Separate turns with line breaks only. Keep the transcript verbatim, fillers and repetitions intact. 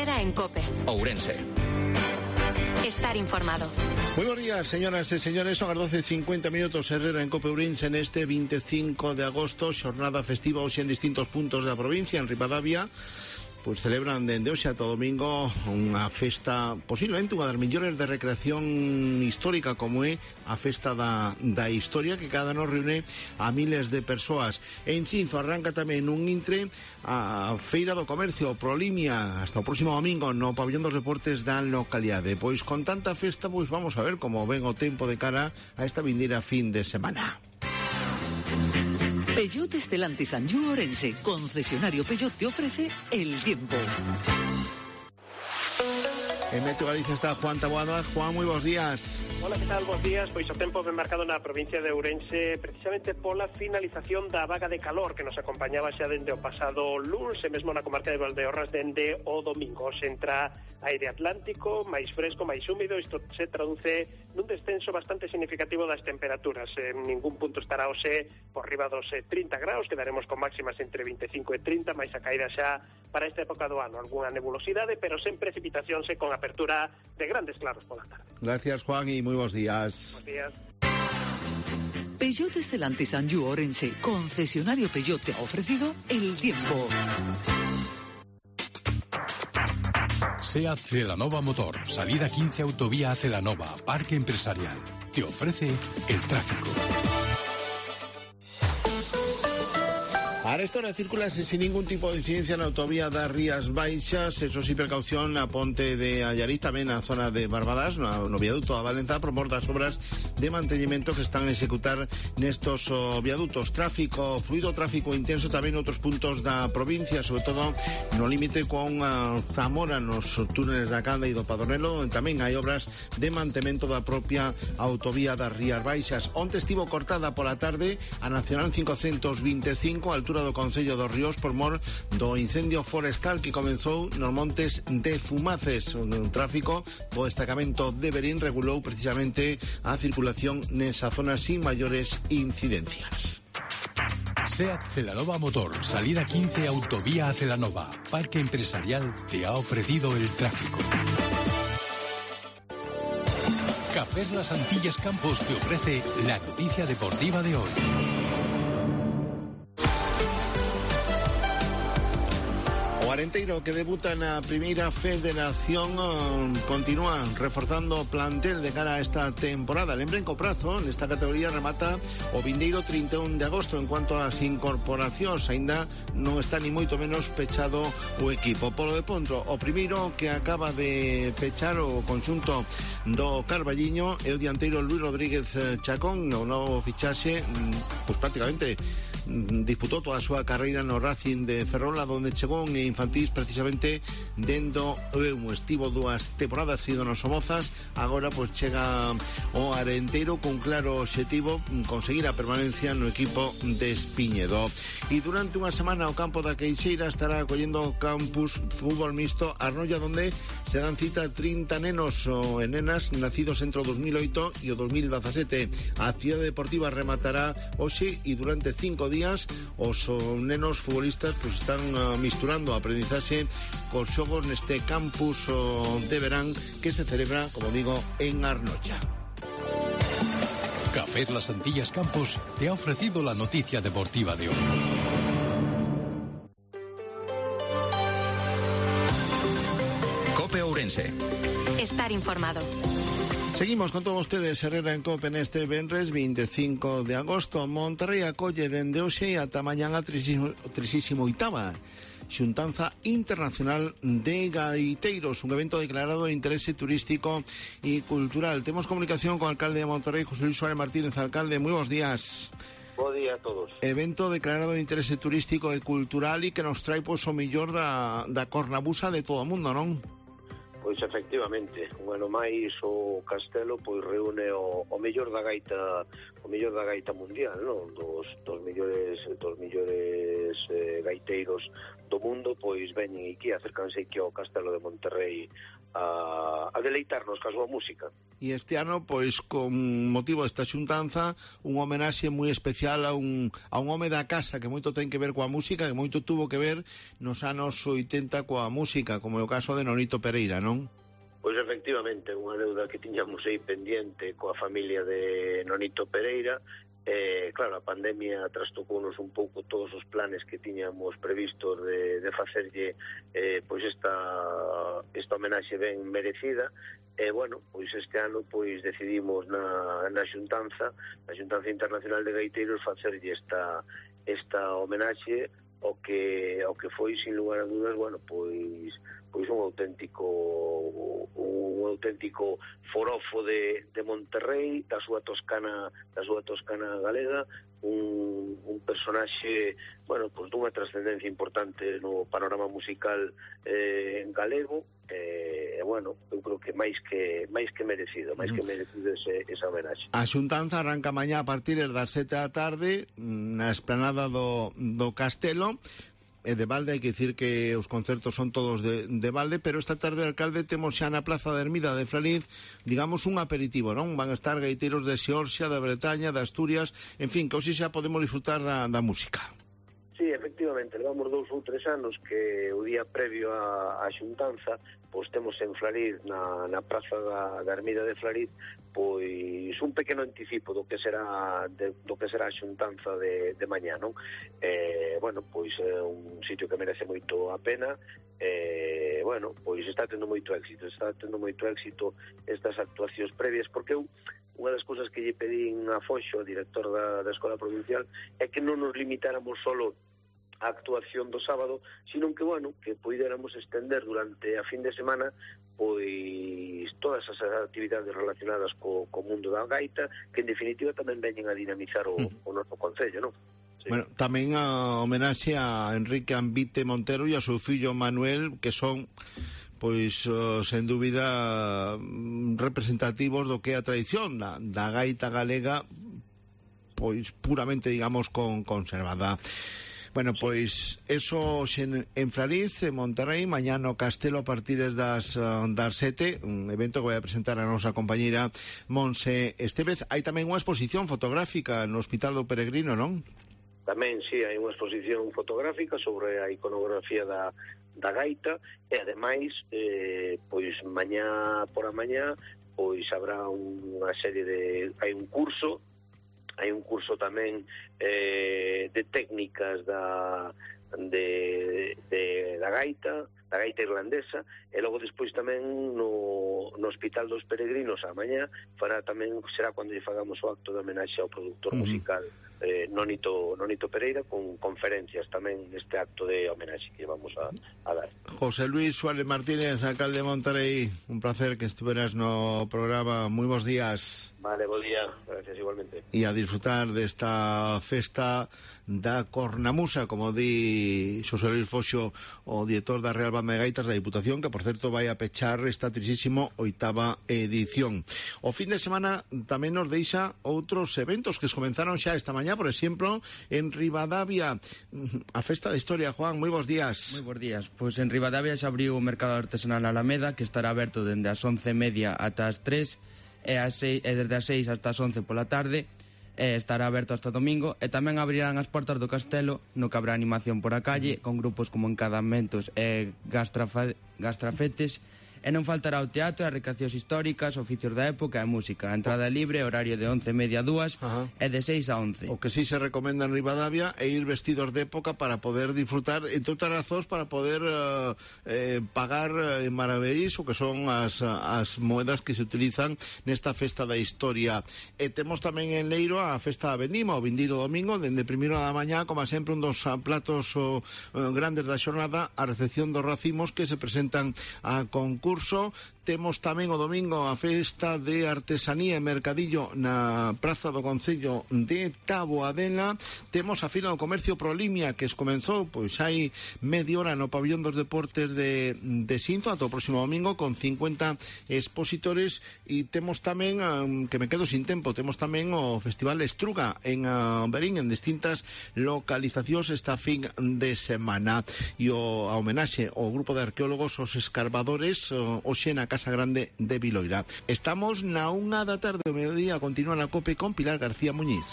Herrera en COPE.
Ourense.
Estar informado.
Muy buenos días, señoras e señores. Son as doce e cincuenta minutos. Herrera en COPE Ourense en este veinticinco de agosto, xornada festiva hoxe en distintos puntos da provincia. En Ribadavia pois celebran dende hoxe ata domingo unha festa, posiblemente unha das mellores de recreación histórica, como é a festa da, da historia, que cada ano reúne a miles de persoas. En Xinzo arranca tamén un intre a Feira do Comercio Prolimia hasta o próximo domingo no Pabellón dos Deportes da localidade. Pois con tanta festa, pois vamos a ver como ven o tempo de cara a esta vindeira fin de semana.
Peugeot Stellantis Anjou Ourense, concesionario Peugeot, te ofrece el tiempo.
En Meteo Galicia está Juan Taboada. Juan, moi bons días.
Hola, que tal? Bos días. Pois o tempo ben marcado na provincia de Ourense precisamente pola finalización da vaga de calor que nos acompañaba xa dende o pasado luns e mesmo na comarca de Valdeorras dende o domingo. Se entra aire atlántico, máis fresco, máis húmido. Isto se traduce nun descenso bastante significativo das temperaturas. En ningún punto estará hoxe por riba dos trinta graus, quedaremos con máximas entre vinte e cinco e trinta, máis a caída xa para esta época do ano. Alguna nebulosidade, pero sen precipitacións e con apertura de grandes claros pola tarde.
Gracias, Juan, y muy buenos días.
Buenos días.
Peugeot Stellantis Anjou Ourense, concesionario Peugeot, te ha ofrecido el tiempo.
SEAT Celanova Motor, salida quince autovía a Celanova, Parque Empresarial. Te ofrece el tráfico.
Ahora esta hora circula sin ningún tipo de incidencia na autovía das Rías Baixas. Eso sí, precaución na ponte de Allariz, tamén na zona de Barbadas, no, no viaduto a Valenza, por mor das obras de mantenimiento que están a executar nestos oh, viadutos. Tráfico fluido, tráfico intenso tamén en outros puntos da provincia, sobre todo no límite con uh, Zamora, nos túneles da Canda e do Padronelo. Tamén hai obras de mantemento da propia autovía das Rías Baixas. Onte estivo cortada pola tarde a Nacional quinhentos veinticinco, a altura do Concello dos Ríos, por mor do incendio forestal que comenzou nos montes de Fumaces. Un tráfico do destacamento de Berín regulou precisamente a circulación nesa zona sin maiores incidencias.
SEAT Celanova Motor, salida quince autovía a Celanova, Parque Empresarial, te ha ofrecido el tráfico. Cafés Las Antillas Campos te ofrece la noticia deportiva de hoy.
O Arenteiro, que debuta na primeira federación, continúa reforzando o plantel de cara a esta temporada. Lembren que o prazo nesta categoría remata o vindeiro trinta e un de agosto. En cuanto ás incorporacións, aínda non está ni moito menos pechado o equipo. Polo de Pontro, o primeiro que acaba de pechar o conxunto do Carballiño é o dianteiro Luis Rodríguez Chacón. O novo fichaxe, pois prácticamente disputou toda a súa carreira no Racing de Ferrol, onde chegou en infantís precisamente dendo un estivo dúas temporadas sido nos Somozas. Agora pois chega o Arenteiro con claro obxectivo, conseguir a permanencia no equipo de Espiñedo. E durante unha semana o campo da Queixeira estará acollendo o campus fútbol mixto Arnoia, onde se dan cita trinta nenos e nenas nacidos entre o dos mil oito e o dos mil dezasete. A actividade deportiva rematará hoxe e durante cinco días os nenos futbolistas pues, están uh, misturando a aprendizaxe cos xogos neste campus uh, de verán que se celebra, como digo, en Arnoia.
Café Las Antillas Campos te ha ofrecido la noticia deportiva de hoy.
COPE Ourense.
Estar informado.
Seguimos con todos ustedes, Herrera en COPE neste venres veinticinco de agosto. Monterrey acolle dende hoxe ata mañá a trinta e oitava Xuntanza Internacional de Gaiteiros, un evento declarado de interese turístico e cultural. Temos comunicación con o alcalde de Monterrey, José Luis Suárez Martínez. Alcalde, moi bons días.
Bo día a todos.
Evento declarado de interese turístico e cultural e que nos trae pois, o mellor da, da cornabusa de todo o mundo, non?
Pois efectivamente, un ano máis o Castelo pois reúne o, o mellor da gaita, o mellor da gaita mundial, non? Dos dos mellores dos mellores eh, gaiteiros do mundo, pois veñen aquí, acércanse aquí ao Castelo de Monterrey a, a deleitarnos ca súa música.
E este ano, pois, con motivo desta xuntanza, un homenaxe moi especial a un, a un home da casa que moito ten que ver coa música, que moito tuvo que ver nos anos oitenta coa música, como é o caso de Nonito Pereira, non?
Pois efectivamente, unha deuda que tiñamos aí pendiente coa familia de Nonito Pereira. Eh, claro, a pandemia trastocounos un pouco todos os planes que tiñamos previstos de, de facerlle eh, pois esta, esta homenaxe ben merecida. E, eh, bueno, pois este ano pois decidimos na, na xuntanza, na xuntanza internacional de gaiteiros, facerlle esta, esta homenaxe o que, o que foi, sin lugar a dudas, bueno, pois pois un auténtico un auténtico forofo de, de Monterrey, da súa Toscana da súa Toscana galega, un, un personaxe, bueno, pois dunha trascendencia importante no panorama musical eh, en galego, e eh, bueno, eu creo que máis que máis que merecido, máis que merecido ese, esa homenaxe.
A xuntanza arranca mañá a partir das sete da tarde na esplanada do, do Castelo. E de balde, hai que dicir que os concertos son todos de, de balde, pero esta tarde, alcalde, temos xa na Plaza de Ermida de Flariz, digamos, un aperitivo, non? Van a estar gaiteiros de Xeorxia, da Bretaña, de Asturias, en fin, que hoxe xa podemos disfrutar da, da música.
Sí, efectivamente, levamos dous ou tres anos que o día previo á, á xuntanza, pois temos en Flariz, na, na Praza da, da Ermida de Flariz, pois un pequeno anticipo do que será de, do que será a xuntanza de, de mañá, non? Eh, bueno, pois é un sitio que merece moito a pena, eh, bueno, pois está tendo moito éxito, está tendo moito éxito estas actuacións previas, porque eu unha das cousas que lle pedín a Foxo, director da, da Escola Provincial, é que non nos limitáramos solo a actuación do sábado, sino que, bueno, que poidéramos estender durante a fin de semana pois todas as actividades relacionadas co, co mundo da gaita, que en definitiva tamén veñen a dinamizar o, mm. o noso concello, non? Sí.
Bueno, tamén a homenaxe a Enrique Ambite Montero e a seu fillo Manuel, que son pois, uh, sen dúbida, representativos do que é a tradición da, da gaita galega, pois puramente, digamos, con, conservada. Bueno, pois, eso en, en Flariz, en Monterrey, mañá no Castelo a partir das, das sete, un evento que vai a presentar a nosa compañeira Monse Estevez. Hai tamén unha exposición fotográfica no Hospital do Peregrino, non?
Tamén, sí, hai unha exposición fotográfica sobre a iconografía da, da gaita, e ademais, eh, pois, mañá por a mañá, pois, habrá unha serie de... hai un curso, hai un curso tamén eh, de técnicas da, de, de, da gaita, da gaita irlandesa, e logo despois tamén no, no Hospital dos Peregrinos a mañá fará tamén, será cando lle fagamos o acto de homenaxe ao produtor uh-huh. musical eh, Nonito, Nonito Pereira, con conferencias tamén neste acto de homenaxe que vamos a, a dar.
José Luis Suárez Martínez, alcalde de Monterrey, un placer que estuveras no programa. Moi bons días.
Vale, bo día, gracias igualmente.
E a disfrutar desta festa da cornamusa, como di Xosé Luis Foxo, o director da Real Banda de Gaitas da Diputación, que por certo vai a pechar esta trisísimo oitava edición. O fin de semana tamén nos deixa outros eventos que comenzaron xa esta mañá, por exemplo, en Ribadavia, a festa de historia. Juan, moi bons días.
Moi bons días. Pois en Ribadavia xa abriu o mercado artesanal Alameda, que estará aberto dende as once e media ata as tres, e, as seis, e desde as seis hasta as once pola tarde, e estará aberto hasta domingo, e tamén abrirán as portas do Castelo, no que habrá animación por a calle, con grupos como Encadamentos e Gastrafa, Gastrafetes, e non faltará o teatro, as recreacións históricas, oficios da época e música. A entrada é libre, horario de once e media a dúas e de seis a once.
O que sí se recomenda en Ribadavia é ir vestidos de época para poder disfrutar, entre outras razóns, para poder uh, eh, pagar en maravedís, o que son as, as moedas que se utilizan nesta festa da historia. E temos tamén en Leiro a festa da Vendima, o vindeiro domingo, dende primeiro da mañá, como sempre, un dos platos oh, grandes da xornada, a recepción dos racimos que se presentan a concurso. Temos tamén o domingo a festa de artesanía e mercadillo na Praza do Concello de Taboadela. Temos a Fila do Comercio Prolimia, que es comenzou pois hai media hora no Pabillón dos Deportes de, de Sinzo, ata o próximo domingo, con cincuenta expositores. E temos tamén, um, que me quedo sin tempo, temos tamén o Festival Estruga en uh, Berín, en distintas localizacións esta fin de semana. E o, a homenaxe ao grupo de arqueólogos, os escarbadores, o, o Xena Casa Grande de Viloira. Estamos na unha da tarde do mediodía, continúa na COPE con Pilar García Muñiz.